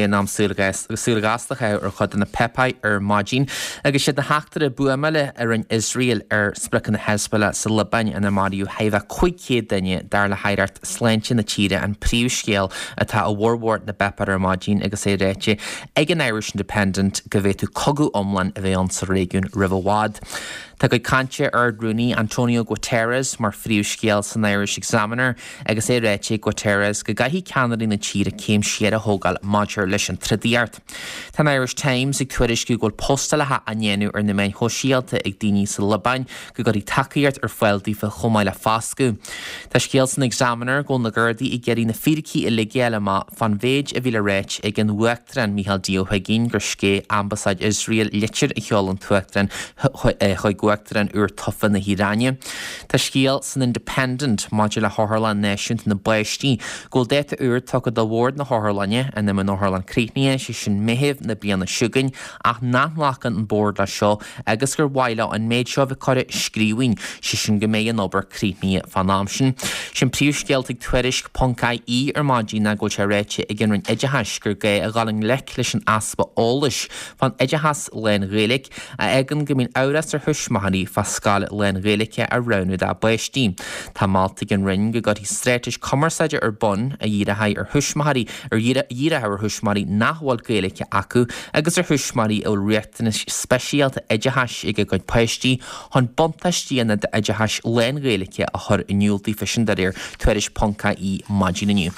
In am súil ghasta a chaitheamh ar chuid de na páipéir ar maidin agus siad na heachtraí buamála a rinne Iosrael ar spriocanna Hezbollah sa Liobáin inar maraíodh chóir a bheith 500 duine dar le haireacht sláinte na tíre an príomhscéal atá i bhformhór na bpáipéar ar maidin agus é ráite ag an Irish Independent go bhféadfadh cogadh iomlán a bheith ann sa réigiún roimh i bhfad. Tá cuid cainte Ard-Rúnaí Antonio Guterres mar phríomhscéal san Irish Examiner. Agus é ráite ag Guterres go gcaithfidh ceannairí na tíre céim siar a thógáil maidir leis an trodaíocht. Tá an Irish Times ag tuairisciú go bhfuil postálacha á ndéanamh ar na meáin shóisialta ag daoine sa Liobáin go gcuirfí tacaíocht ar fáil daofa chomh maith le foscadh. Tá scéal san Examiner go bhfuil na Gardaí ag iarraidh na fíricí uilig a fháil amach fán mhéid a bhí le ráit ag an Uachtarán Micheál D Ó hUigínn gur sceith Ambasáid Iosrael litir a sheol an tUachtarán chuig Uachtarán úr tofa na hIaráine. Tá scéal san Independent maidir le hOtharlann Náisiúnta na bPáistí go bhfuil dáta úr tugtha do bhord na hotharlainne ina mbeidh an otharlann críochnaithe, sé sin Meitheamh na bliana seo chugainn, ach nach nglacann an bord leis seo agus gur mhaith leo an méid seo a bheith curtha i scríbhinn, sé sin go mbeidh an obair críochnaithe fán am sin. Sé'n príomhscéal atá ag Tuairisc ponc ie ar maidin ná go bhfuil sé ráite ag an Roinn Oideachais gur gá a dhul i ngleic leis an easpa eolais fán oideachas lán-Ghaeilge a fhágann go mbíonn amhras ar thuismitheoirí fá scoil lán-Ghaeilge a roghnú dá bpáistí. Tá molta ag an Roinn go gcuirfí straitéis cumarsáide ar bun a dhíreoidh ar thuismitheoirí ar dhíreoidh ar thuismitheoirí nach bhfuil Gaeilge acu agus ar thuismitheoirí a bhfuil riachtanais speisialta oideachais ag a gcuid páistí chun buntáistí an oideachais lán-Ghaeilge a chur in iúl daofa sin de réir Tuairisc ponc ie maidin inniu.